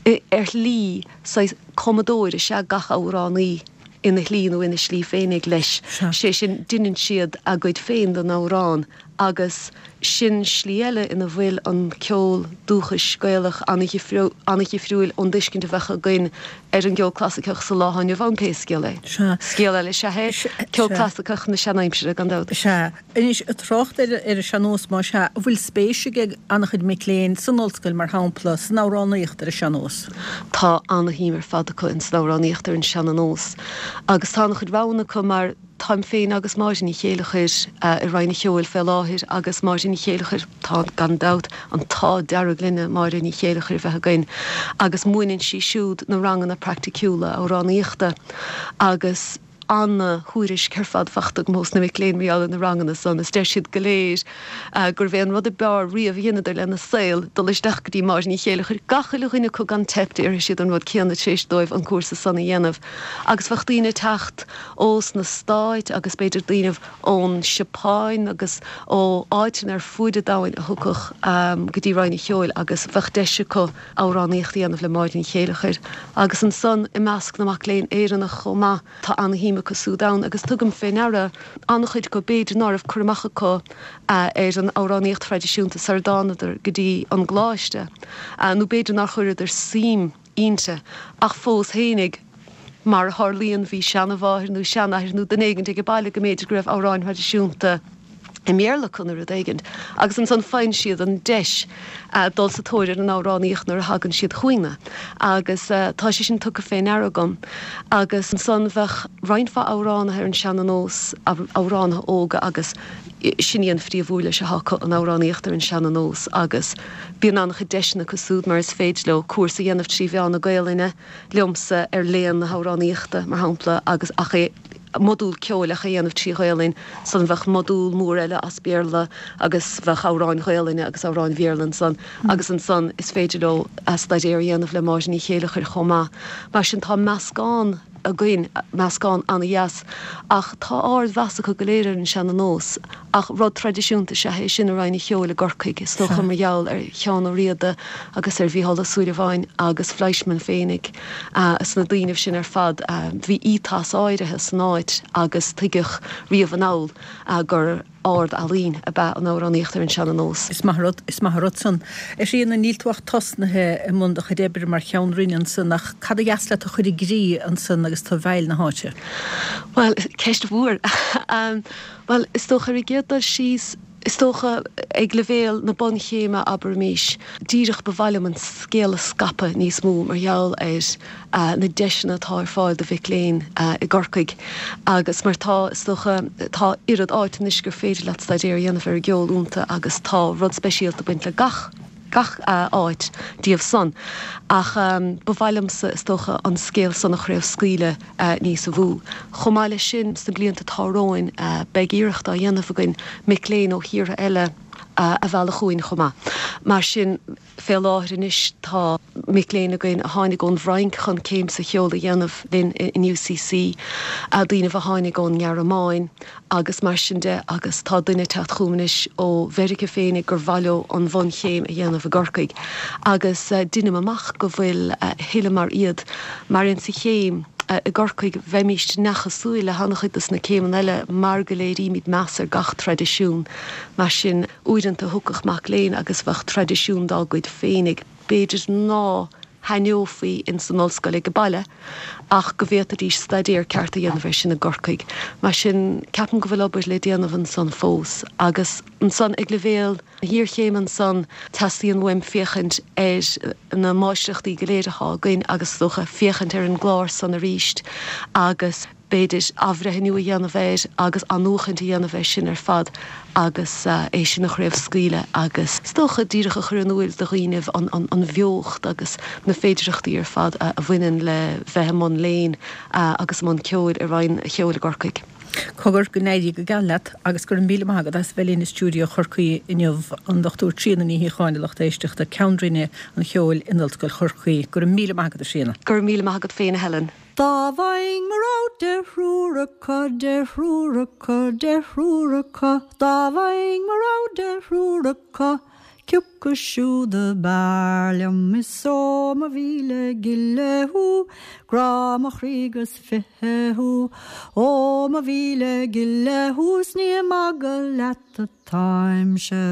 ar shlí, saghas cumadóir is ea gach amhránaí. ina shlí nó ina slí féinig leis, sé sin, deineann siad a gcuid féin den amhrán agus sin slí eile ina bhfuil an ceol dúchais Gaelach an-dhifriúil ón dtuiscint a bheadh againn ar an gceol clasaiceach sa lá atá inniu ann pé scéal é. Scéal eile is ea é ceol clasaiceach na seanaimsire, gan dabht. Sea. Anois, ag trácht ar an sean-nós, más ea, an bhfuil spéis ag an-chuid mic léinn san ollscoil, mar shampla, san amhránaíocht ar an sean-nós? Tá ana-shuim ar fad acu ins an amhránaíocht ar an seana-nós agus tá an-chuid roghanna acu mar táim féin agus Máire Ní Chéileachair i Roinn an Cheoil fé láthair agus Máire Ní Chéileachair, tá gan dabht an t-ádh dearg linne Máire Ní Chéileachair a bheith againn agus múineann sí siúd na ranganna praiticiúla amhránaíochta agus ana-thuairisc ar fad fachta agam ós na mic léinn mar gheall ar na ranganna san is deir siad go léir gurbh é an rud ab fhearr riamh a dheineadar lena saol dul isteach go dtí Máire Ní Chéileachair. Gach uile dhuine acu gan teip déarfaidh siad an rud céanna tar éis dóibh an cúrsa san a dhéanamh. Agus bheadh daoine ag teacht ós na Stáit agus b'fhéidir daoine ón Seapáin agus ó áiteanna ar fuaid an domhain a thiocfadh go dtí Roinn an Cheoil agus bheadh deis acu amhránaíocht a dhéanamh le Máire Ní Chéileachair agus ansan i measc na mac léinn Éireannach chomh maith tá ana-shuim acu súd ann agus tugaim fé ndeara an-chuid acu b'fhéidir ná raibh cur amach acu ar an amhránaíocht thraidisiúnta sar a dtánadar go dtí an gcoláiste nó b'fhéidir nár chuireadar suim inti ach fós fhéinig mar a tharlaíonn bhí seanamháthair nó seanathair nó duine éigint ag baile go mb'fhéidir go raibh amhráin thraidisiúnta i mBéarla acu nó rud éigint agus ansan faigheann siad an deis dul sa tóir ar an amhránaíocht nuair a thagann siad chugainne agus tá sé sin tugtha fé ndeara agam. Agus ansan bheadh roinnt mhaith amhránaithe ar an seana-nós, amhránaithe óga agus sin í an phríomh-uirlis atá acu, an amhránaíocht ar an seana-nós agus bíonn an-chuid deiseanna acu súd mar is féidir leo cúrsa a dhéanamh trí mheán na Gaolainne liomsa ar léann na hamhránaíochta, mar shampla, agus ach é modúl ceoil ach é a dhéanamh trí Ghaolainn, ansan bheadh modúl mór eile as Béarla agus bheadh amhráin Ghaolainne agus amhráin Bhéarla ansan agus ansan is féidir leo staidéar a dhéanamh le Máire Ní Chéileachair chomh maith. Mar sin tá meascán againn, meascán an-dheas ach tá ard-mheas acu go léir ar an seana-nós ach rud traidisiúnta is ea é sin i Roinn an Cheoil i gCorcaigh, is dócha mar gheall ar Sheán Ó Riada agus ar Mhícheál Ó Súilleabháin agus Fleischmann féinig. Is na daoinibh sin ar fad, bhí ethos áirithe san áit agus tuigeadh riamh anall gur. Ard-ealaín ab ea an amhránaíocht ar an seana-nós. Is maith an rud, is maith an rud san. A Thríona, níl tú ach tosnaithe i mbun do chuid oibre mar cheann roinne ansan ach cad a dheas leat a chur i gcrích ansan agus tú i bhfeighil na háite? Bhuel, ceist mhór. Bhuel, is dócha ar an gcéad dul síos, Is dócha, ag leibhéal na bunchéime, abraimís, díreach ba mhaith liom an scéal a scaipeadh níos mó mar gheall ar na deiseanna atá ar fáil do mhic léinn i gCorcaigh agus mar tá, is dócha, tá oiread áit anois gur féidir leat staidéar a dhéanamh ar an gceol iontu agus tá rud speisialta ag baint le gach gach áit díobh san. Ach ba mhaith liomsa, is dócha, an scéal san a chraobhscaoileadh níos mó. Chomh maith leis sin, sna blianta atá romhainn, beidh iarracht á dhéanamh againn mic léinn ó thíortha eile a mhealladh chugainn chomh maith. Mar sin, fé láthair anois, tá mic léinn againn a tháinig ón bhFrainc chun céim sa cheol a dhéanamh linn in UCC, daoinibh a tháinig ón nGearmáin, agus mar sin de agus tá duine ag teacht chugam anois ó Mheiriceá féinig gur mhaith leo an bhunchéim a dhéanamh i gCorcaigh agus deinim amach go bhfuil a thuilleadh mar iad mar insa chéim i gCorcaigh bheimíst neamhchosúil le han-chuid dos na céimeanna eile mar go léirímid meas ar gach traidisiún mar sin uaireanta thiocfadh mac léinn agus bheadh traidisiún dá gcuid féinig b'fhéidir ná thaitneofaí ins an ollscoil ag baile ach go bhféadfaidís staidéar ceart a dhéanamh air sin i gCorcaigh. Mar sin, ceapaim go bhfuil obair le déanamh ansan fós. Agus ansan, ag leibhéal na hiarchéime ansan, teastaíonn uaim féachaint ar na máistreachtaí go léir atá againn agus is dócha féachaint ar an gclár san aríst agus, b'fhéidir, athbhreithniú a dhéanamh air agus athnuachaint a dhéanamh air sin ar fad agus é sin a chraobhscaoileadh agus is dócha díreach a chur in úil do dhaoinibh an bheocht agus na féidireachtaí ar fad a bhaineann le bheith i mbun léinn agus i mbun ceoil i Roinn an Cheoil i gCorcaigh. Cogar, go n-éirí go geal leat agus go raibh míle maith agat as bheith linn i stiúideo Chorcaí inniu, an Dr Tríona Ní Shíocháin, a lucht éisteachta, Ceann Roinne an Cheoil in Ollscoil Chorcaí. Go raibh míle maith agat, a Thríona. Go raibh míle maith agat féin, a Helen. Dá bhfaighinn mo rogha de thriúr acu, de thriúr acu, de thriúr acu, dá bhfaighinn mo rogha de thriúr acu, cioca siúd ab fhearr liom is ó mo mhíle gile thú, grá mo chroí 'gus fiche thú, ó mo mhíle gile thú 's ní ag magadh leat atáimse.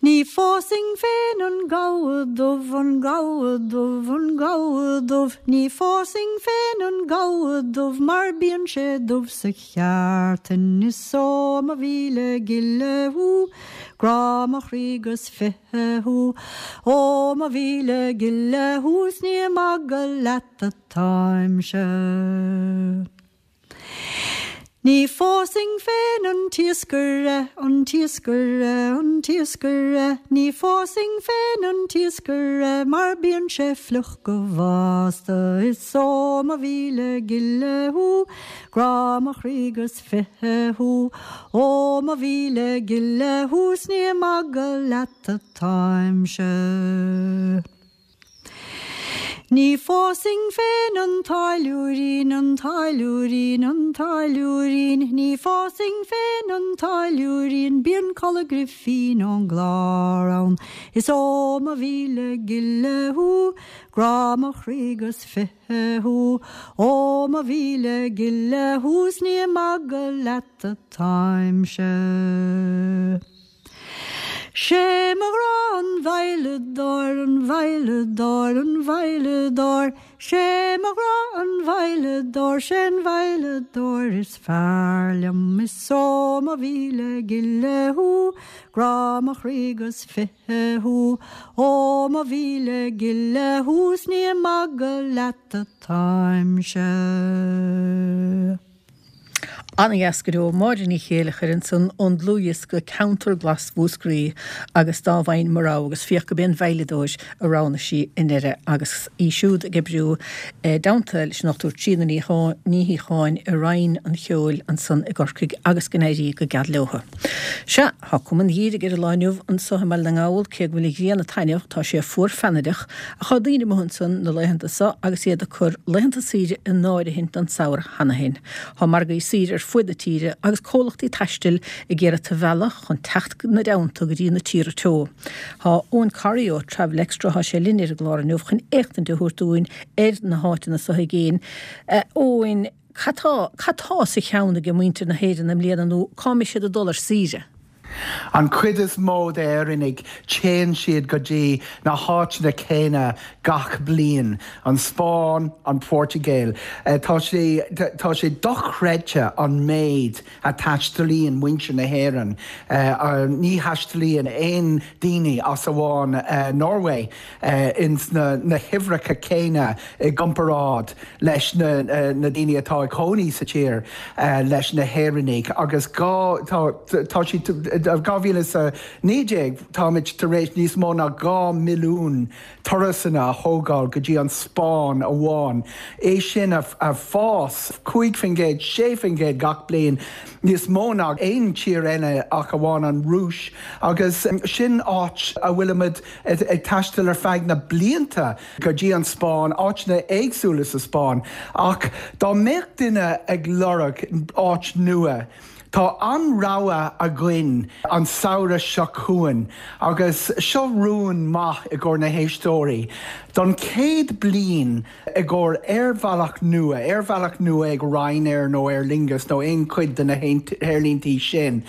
Ní phósfainn féin an gabha dubh, an gabha dubh, an gabha dubh, ní phósfainn féin an gabha dubh mar bíonn sé dubh sa cheártain is ó mo mhíle gile thú, grá mo chroí 'gus fiche thú, ó mo mhíle gile thú 's ní ag magadh leat atáimse. Ní phósfainn féin an t-iascaire, an t-iascaire, an t-iascaire, ní phósfainn féin an t-iascaire mar bíonn sé fliuch go bhásta is ó mo mhíle gile thú, grá mo chroí 'gus fiche thú, ó mo mhíle gile thú 's ní ag magadh leat atáimse. Ní phósfainn féin an táilliúirín, an táilliúirín, an táilliúirín, ní phósfainn féin an táilliúirín, bíonn culaith grifín ón gclár ann. Is ó mo mhíle gile thú, grá mo chroí 'gus fiche thú, ó mo mhíle gile thú 's ní ag magadh leat atáimse. Sé mo ghrá an veidhleadóir, an veidhleadóir, an veidhleadóir, Sé mo ghrá an veidhleadóir, sé'n veidhleadóir is fearr liom Is ó mo mhíle gile thú, grá mo chroí 'gus fiche thú, Ó mo mhíle gile thú 's ní ag magadh leat atáimse. Ana-dheas go deo. Máire Ní Chéileachair ansan ón dlúthdhiosca Ceantar Glas Mhúscraí agus Dá bhFaighinn Mo Rogha agus féach go b'é an veidhleadóir a roghnaigh sí i ndeireadh agus í siúd ag oibriú i dteannta leis an Dr Tríona Ní Shíocháin i Roinn an Cheoil ansan i gCorcaigh agus go n-éirí go geal leotha. Sea, tá cuma an gheimhridh ar an lá inniu anso i mBaile na nGall cé go bhfuil an ghrian ag taitneamh tá sé fuar feannaireach ach tá daoine amuigh ansan na laethanta so agus iad ag cur laethanta saoire in áirithint don samhradh cheana féin. Tá margaí saoire ar fuaid na tíre agus comhlachtaí taistil ag iarraidh tú a mhealladh chun teacht 'na dteannta go dtí na tíortha teo. Tá Eoin Corry ó Travel Extra, tá sé linn ar an gclár inniu chun éachtaint a thabhairt dúinn ar na háiteanna so i gcéin. A Eoin. Cad tá, cad tá sa cheann ag muintir na hÉireann i mbliana nó cá mbeidh siad ag dul ar saoire? An chuid is mó d'Éireannaigh, téann siad go dtí na háiteanna céanna gach bliain, an Spáinn, an Phortaingéil. Tá sé, tá sé dochreidte an méid a taistealaíonn muintir na hÉireann. Ní thaistealaíonn aon daoine as amháin Norway ins na huimhreacha céanna i gcomparáid leis na daoine atá ag cónaí sa tír leis na hÉireannaigh agus tá tá siad 2019 táimid tar éis níos mó ná 2 milliún turasanna a thógáil go dtí an Spáinn amháin, é sin ag fás 5%, 6% gach bliain, níos mó ná aon tír eile ach amháin an Rúis agus sin áit a bhfuilimid ag taisteal ar feadh na blianta go dtí an Spáinn, áiteanna éagsúla sa Spáinn. Ach dá mbeadh duine ag lorg áit nua, tá an-rogha againn an samhradh seo chugainn agus seo rún maith i gcomhair na héisteoirí. Don chéad bliain i gcomhair aerbhealach nua, aerbhealach nua ag Ryanair nó Aer Lingus nó aon chuid de na haerlíntí sin,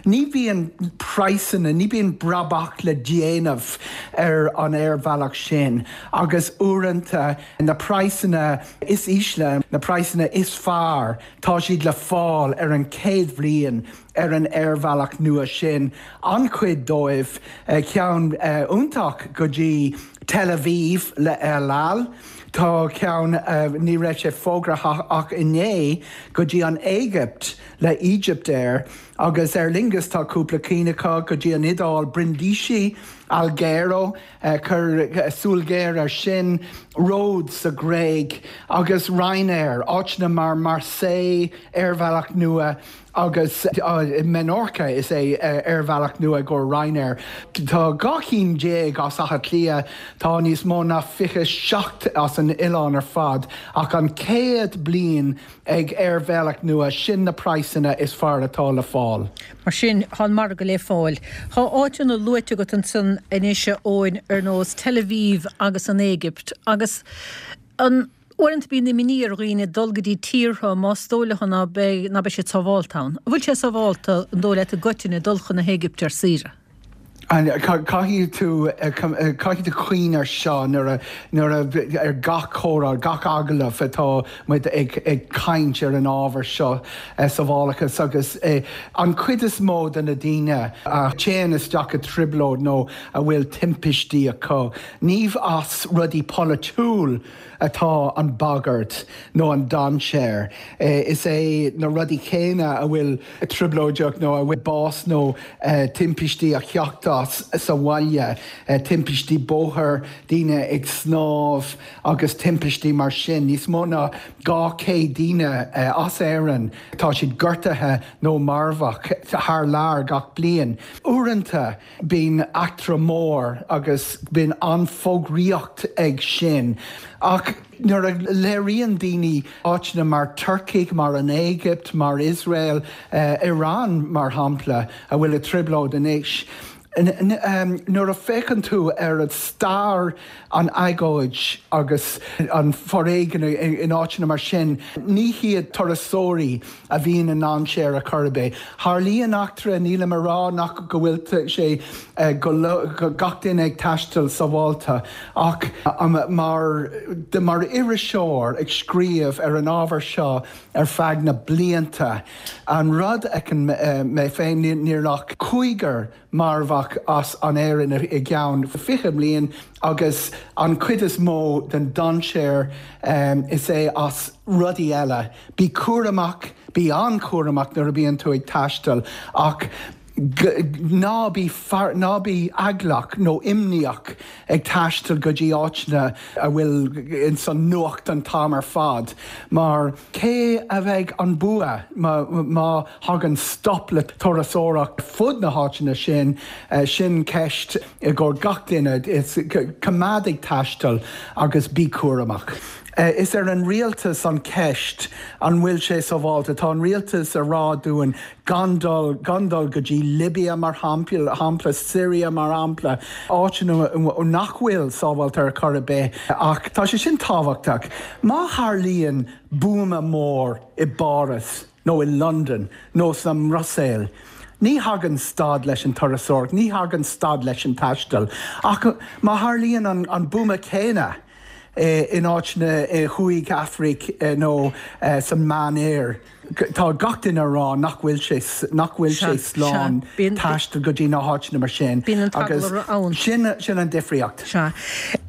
ní bhíonn praghsanna, ní bhíonn brabach le déanamh ar an aerbhealach sin agus uaireanta na praghsanna is ísle, na praghsanna is fearr, Tá siad le fáil ar an chéad bhliain ar an aerbhealach nua sin, an-chuid dóibh, ceann iontach go dtí Tel Aviv le El Al, tá ceann, ní raibh sé fógartha ach inné, go dtí an Éigipt le Egypt Air agus Aer Lingus tá cúpla cinn acu go dtí an Iodáil, Brindisi, Alghero. Cuir súil ghéar air sin, Rhodes sa Ghréig agus Ryanair, áiteanna mar Marseille, aerbhealach nua, agus Menorca, is é aerbhealach nua i gcomhair Ryanair. Tá 12 cinn as Átha Cliath, tá níos mó ná 27 as an oileán ar fad, ach an chéad bliain ag aerbhealach nua, sin na praghsanna is fearr atá le fáil. Mar sin, tá an margadh le fáil. Tá áiteanna luaite agat ansan anois, a Eoin, ar nós Tel Aviv agus an Éigipt, agus an uaireanta bíonn imní ar dhaoine dul go dtí tíortha más dóigh leo ná beidh ná beidh siad sábhálta ann. An bhfuil sé sábhálta, an dóigh leat i gcoitinne, dul chun na hÉigipte ar saoire? Caithfidh tú caithfidh tú cuimhneamh air seo nuair a nuair a ar gach comhrá, gach agallamh atá muid ag ag caint ar an ábhar seo, sábhálachas agus an chuid is mó de na daoine a théann isteach i dtrioblóid nó a bhfuil timpistí acu, ní as rudaí polaitiúil atá an bagairt nó an dainséar. Is é na rudaí céanna a bhfuil trioblóideach nó a bhfuil bás nó timpistí a theacht as sa bhaile, timpistí bóthair, daoine ag snámh agus timpistí mar sin. Níos mó ná 200 daoine as Éirinn, tá siad gortaithe nó marbhach thar lear gach bliain. Uaireanta bíonn eachtra mór agus bíonn an-fhógraíocht ag sin ach nuair a léiríonn daoine áiteanna mar Turcaigh, mar an Éigipt, mar Iosrael, Iran mar shampla, a bhfuil i dtrioblóid anois, nuair a féachann tú ar an stair, an agóid agus an foréigean in áiteanna mar sin, ní hiad turasóirí a bhíonn i ndainséar ar chor ar bith. Tharlaíonn eachtra, nílim a rá nach go bhfuil sé go gach duine ag taisteal sábháilte ach mar mar iriseoir ag scríobh ar an ábhar seo ar feadh na blianta, an rud a fheiceann mé féin, níl ach cúigear marbhach as an Éirinn i gceann 20 mbliain agus an chuid is mó den dainséar is é as rudaí eile. Bí cúramach, bí an-chúramach nuair a bhíonn tú ag taisteal ach ná bí ná bí eaglach nó imníoch ag taisteal go dtí áiteanna a bhfuil ins an nuacht an t-am ar fad mar cé a bheidh an bua má thagann stop le turasóireacht fud na háiteanna sin? Sin ceist i gcomhair gach duine. Coimeád ag taisteal agus bí cúramach. Is ar an rialtas an ceist an bhfuil sé sábháilte. Tá an rialtas a rá dúinn gan dul, gan dul go dtí Libya mar shampla, Syria mar shampla, áiteanna nach bhfuil sábháilte ar chor ar bith. Ach tá sé sin tábhachtach. Má tharlaíonn buama mór i bPáras nó i Londain nó sa mBruiséil, ní thagann stad leis an turasóireacht, ní thagann stad leis an taisteal. Ach má tharlaíonn an buama céanna in áiteanna i Thuaidh Afraic nó san Meánoirthear, tá gach duine a rá nach bhfuil sé nach bhfuil sé slán taisteal go dtí na háiteanna mar sin agus sin sin an difríocht. Sea.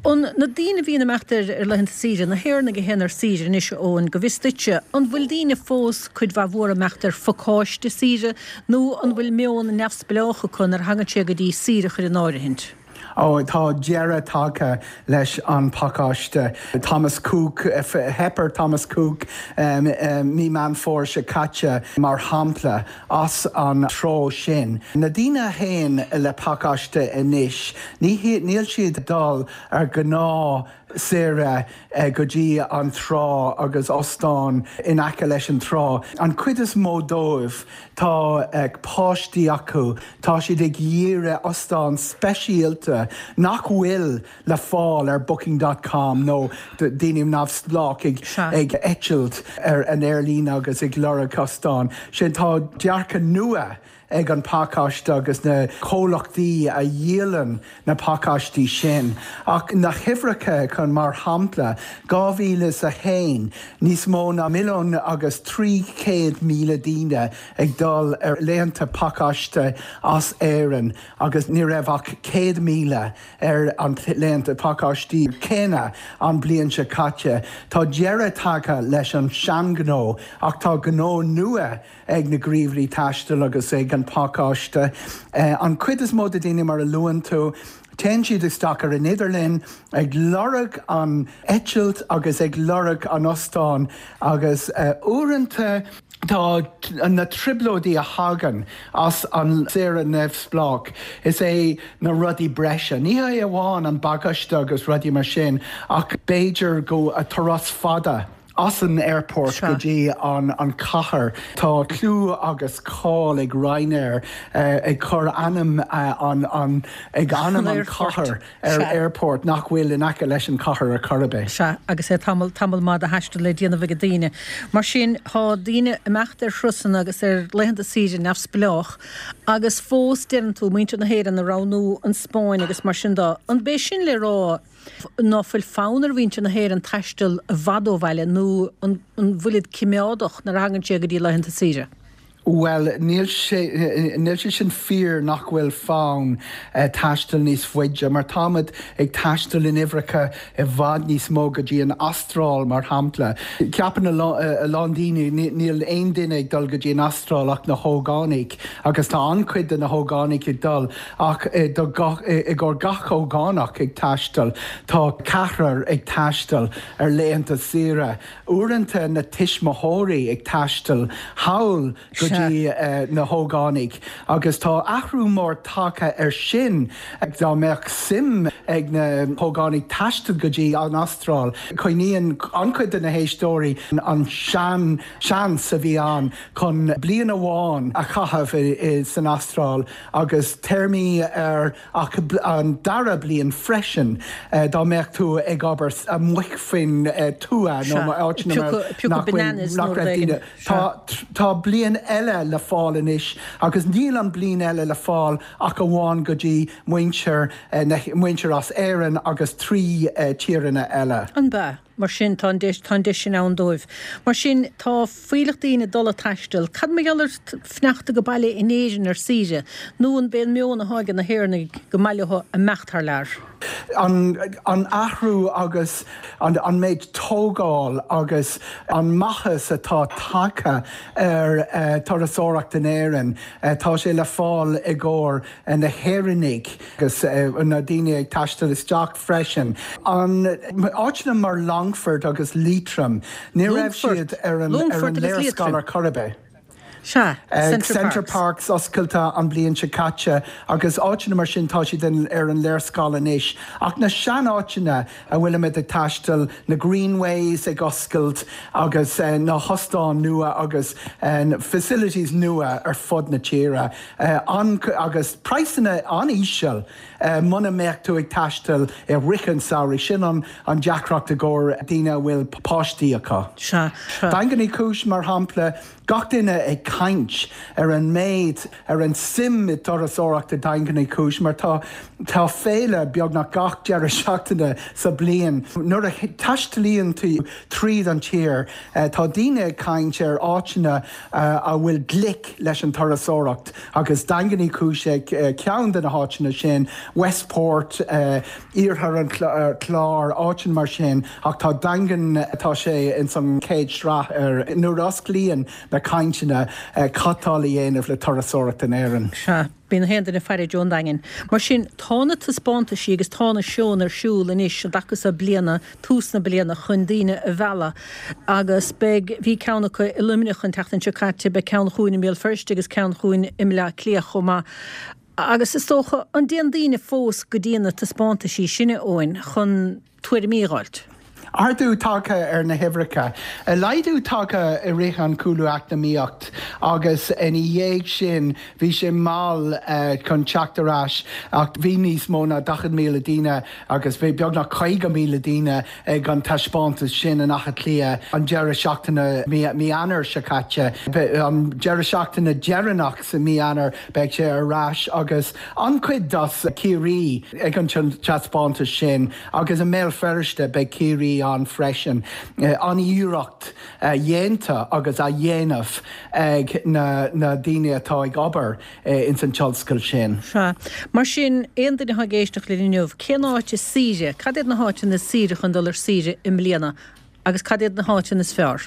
An na daoine a bhíonn ag imeacht ar laethanta saoire, na hÉireannaigh a théann ar saoire anois, a Eoin, go bhfios duitse, an bhfuil daoine fós cuid mhaith mhór ag imeacht ar phacáiste saoire nó an bhfuil meon neamhspleách acu nuair a thagann sé go dtí saoire a chur in áirithint? Ó, tá deireadh tagtha leis an pacáiste. Thomas Cook, theip ar Thomas Cook mí Meán Fómhair seo caite, mar shampla, as an treo sin. Na daoine a théann le pacáiste anois, ní, níl siad ag dul ar ghnáth saoire go dtí an trá agus ostán in aice leis an trá. An chuid is mó dóibh, tá páistí acu, tá siad ag iarraidh ostán speisialta nach bhfuil le fáil ar Booking dot com nó daoine neamhspleách ag eitilt ar an aerlíne agus ag lorg ostán. Sin, tá dearcadh nua ag an pacáiste agus na comhlachtaí a dhíolann na pacáistí sin. Ach na huimhreacha chun, mar shampla, 2001, níos mó ná 1,300,000 daoine ag dul ar laethanta pacáiste as Éirinn agus ní raibh ach 100,000 ar an laethanta pacáistí céanna an bliain seo caite. Tá deireadh tagtha leis an seanghnó ach tá gnó nua ag na gníomhairí taistil agus ag an pacáiste. An chuid is mó de daoine, mar a luann tú, téann siad isteach ar an idirlíon ag lorg an eitilt agus ag lorg an ostáin agus uaireanta tá na trioblóidí a thagann as an saoire neamhspleách, is é na rudaí breise. Ní hé amháin an bagáiste agus rudaí mar sin ach b'fhéidir go turas fada. As an airport go dtí an chathair. Tá clú agus cáil ag Ryanair ag cur ainm an ag ainm an chathair ar airport nach bhfuil in aice leis an chathair ar chor ar bith. Sea, agus é tamall, tamall maith de thaisteal le déanamh ag daoine. Mar sin, tá daoine ag imeacht ar thurasanna agus ar laethanta saoire neamhspleách agus fós, deireann tú, muintir na hÉireann ag roghnú an Spáinn agus mar sin de. An b'é sin le rá ná fuil fonn ar mhuintir na hÉireann taisteal i bhfad ó bhaile nó an bhfuilid cimeádach nuair a thagann sé go dtí laethanta saoire? Bhuel, níl sé, níl sé sin fíor nach bhfuil fonn taisteal níos faide, mar táimid ag taisteal in uimhreacha i bhfad níos mó go dtí an Astráil, mar shampla. Ceapann a lán daoine, níl aon duine ag dul go dtí an Astráil ach na hógánaigh, agus tá an-chuid de na hógánaigh ag dul, Ach i gcomhair gach ógánach ag taisteal, tá ceathrar ag taisteal ar laethanta saoire. Uaireanta na tuismitheoirí ag taisteal thall go dtí na hógánaigh. Agus tá athrú mór tagtha ar sin. Dá mbeadh suim ag na hógánaigh taisteal go dtí an Astráil, cuimhníonn an-chuid de na héisteoirí an sean seans a bhí ann chun bliain amháin a chaitheamh san Astráil. Agus téarmaí ar ach an dara bliain freisin dá mbeadh tú ag obair amuigh faoin tuath nó áiteanna mar nach bhfuil nach raibh daoine. Tá tá bliain eile le fáil anois agus níl an bliain eile le fáil ach amháin go dtí muintir na muintir as Éirinn agus 3 tíreanna eile. An bea? Mar sin, tá an deis, tá an deis sin ann dóibh. Mar sin, tá fuílleach daoine ag dul ag taisteal. Cad mar gheall ar fanacht ag baile in Éirinn ar saoire? Nó an b'é an meon athá ag na hÉireannaigh go mba leo imeacht thar lear? An, an athrú agus an, an méid tógáil agus an maitheas atá tagtha ar turasóireacht in Éirinn, tá sé le fáil i gcomhair na hÉireannaigh agus na daoine ag taisteal isteach freisin. An áiteanna mar Longfort agus Liatroim, ní raibh siad ar an léarscáil ar chor ar bith. Sea, Center, Center Parcs oscailte an bliain seo caite agus áiteanna mar sin tá siad ar an léarscáil anois. Ach na sean-áiteanna a bhfuilimid ag taisteal, na Greenways ag oscailt agus na hostáin nua agus facilities nua ar fud na tíre agus praghsanna an-íseal muna mbeadh tú ag taisteal i rith an samhraidh. Sin an deacracht i gcomhair daoine a bhfuil páistí acu. Sea. Daingean Uí Chúis, mar shampla, Gach duine ag caint ar an méid, ar an suim i dturasóireacht i Daingean Uí Chúis mar tá tá féile beagnach gach deireadh seachtaine sa bliain. Nuair a taistealaíonn tú tríd an tír tá daoine ag caint ar áiteanna a bhfuil glic leis an turasóireacht agus Daingean Uí Chúis ag ceann de na háiteanna sin, Westport, Iarthar an Chláir, áiteanna mar sin, ach tá Daingean, tá sé ins an chéad sraith ar nuair a osclaíonn na cainteanna cad tá le dhéanamh le turasóireacht in Éirinn. Sea, bíonn na haon duine ag faire i dtreo an Daingin. Mar sin, tá na taispeántaisí agus tá na seónna ar siúl anois an dtaca so bliana, tús na bliana, chun daoine a mhealladh. Agus beidh, bhí ceann acu i Luimneach an tseachtain seo caite, beidh ceann chugainn i mBéal Feirste agus ceann chugainn i mBleá Cliath chomh maith. Agus is dócha, an dtéann daoine fós go dtí na taispeántaisí sin, a Eoin, chun tuairimí a dh'fháilt? Ardú tagtha ar na huimhreacha. Laghdú tagtha i rith an cúlú eacnamaíocht agus ina dhiaidh sin bhí sé mall chun teacht ar ais ach bhí níos mó ná 40,000 daoine agus bhí beagnach 50,000 daoine ag an taispeántas sin in Átha Cliath an deireadh seachtaine mí Eanáir seo caite. An deireadh seachtaine deireanach sa mí Eanáir beidh sé ar ais agus an-chuid as Ciarraí ag an taispeántas sin agus i mBéal Feirste beidh Ciarraí ann freisin. An-iarracht dhéanta agus á dhéanamh ag na daoine atá ag obair ins an tionscal sin. Sea. Mar sin, aon duine atá ag éisteacht linn inniu, cén áit is saoire, cad iad na háiteanna is saoire chun dul ar saoire i mbliana agus cad iad na háiteanna is fearr?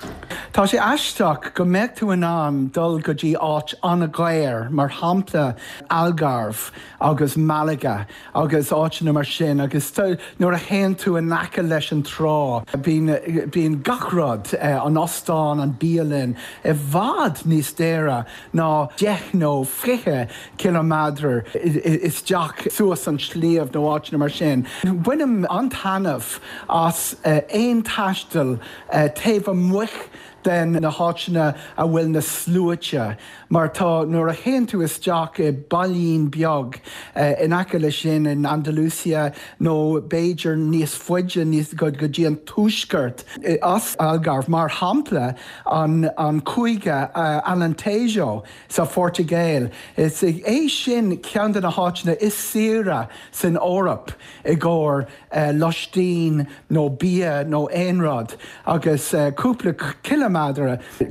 Tá sé aisteach go mbeadh tú in ann dul go dtí áit an-dhaor, mar shampla Algarve agus Malaga agus áiteanna mar sin agus nuair a théann tú in aice leis an trá, bíonn, bíonn gach rud, an ostán, an bialann, i bhfad níos daora ná deich nó 20 ciliméadar isteach suas an sliabh nó áiteanna mar sin. Bainim an-taitneamh as aon taisteal taobh amuigh den na háiteanna a bhfuil na sluaite mar tá nuair a théann tú isteach i bailín beag in aice leis sin in Andalusia nó b'fhéidir níos faide níos go dtí an tuaisceart as Algarve mar shampla an cúige Alentejo sa Phortaingéil. Is é sin ceann de na háiteanna is saoire san Eoraip i gcomhair loistín nó bia nó aon rud agus cúpla ciliméadar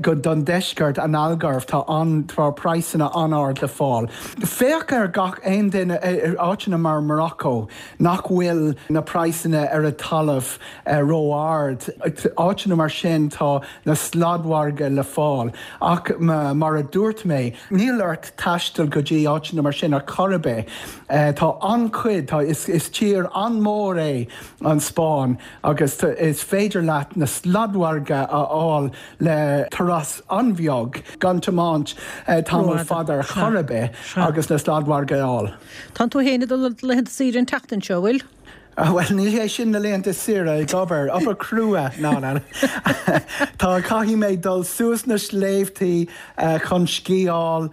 go don deisceart an Algarve tá an tá praghsanna an-ard le fáil. Féach ar gach aon duine áiteanna mar Morocco nach bhfuil na praghsanna ar an talamh ró-ard. Áiteanna mar sin tá na sladmhargaidh le fáil ach mar a dúirt mé, níl ort taisteal go dtí áiteanna mar sin ar chor ar bith. Tá an-chuid, tá, is tír an-mhór é an Spáinn agus is féidir leat na sladmhargaidh a fháil le turas an-bheag gan tiomáint tamall fada ar chor ar bith agus na sladmhargaidh a fháil. Tánn tú féin ag dul ar do laethanta saoire an tseachtain seo, an bhfuil? Bhuel, ní hé sin na laethanta saoire, ag obair, obair crua, ná, ná. Tá, caithfidh mé dul suas na sléibhtí chun sciáil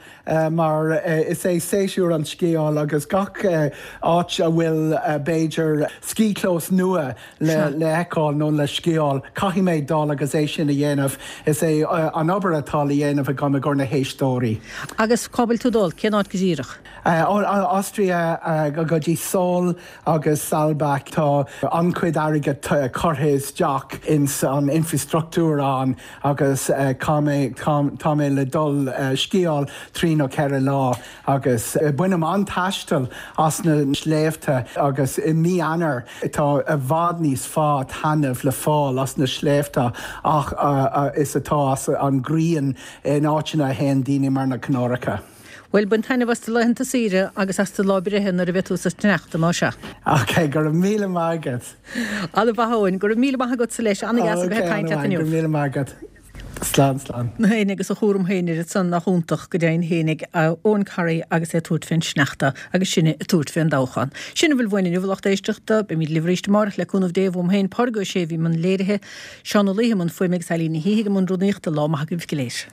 mar is é séasúr an sciáil agus gach áit a bhfuil b'fhéidir ski-chlós nua le feiceáil nó le sciáil, caithfidh mé dul agus é sin a dhéanamh. Is é an obair atá le dhéanamh agam i gcomhair na héisteoirí. Agus cá bhfuil tú ag dul? Cén áit go díreach? Austria go dtí Söll agus Saalbach. Tá an-chuid airgead curtha isteach ins an infreastruchtúr ann agus tá mé tá mé le dul sciáil trí nó ceithre lá agus bainim an-taisteal as na sléibhte agus i mí Eanáir tá i bhfad níos fearr taitneamh le fáil as na sléibhte ach is atá as an ghrian in áiteanna a théann daoine mar na Canáracha. Bhuel, bain taitneamh as do laethanta saoire agus as do lá breithe nuair a bheidh tú sa sneachta, más ea. Ok, go raibh míle maith agat. Ana mhaith, Eoin. Go raibh míle maith agatsa leis. Ana dheas a bheith ag caint leat inniu. Go raibh míle maith agat. Slán, slán. Féin agus a chúram féin oiread san nach iontach go deimhin fhéinig Eoghan Corry agus é ag tabhairt fén sneachta agus sinne ag tabhairt fén dtoghchán. Sin a bhfuil uainn inniu a lucht éisteachta. Beimid libh arís amárach le cúnamh Dé uaim féin Pádraig Ó Sé a bhí i mbun léirithe, Seán Ó Laoithe i mbun fuaime agus Eileen Ní hÍthigh i mbun rúnaíochta. Lá maith agaibh go léir.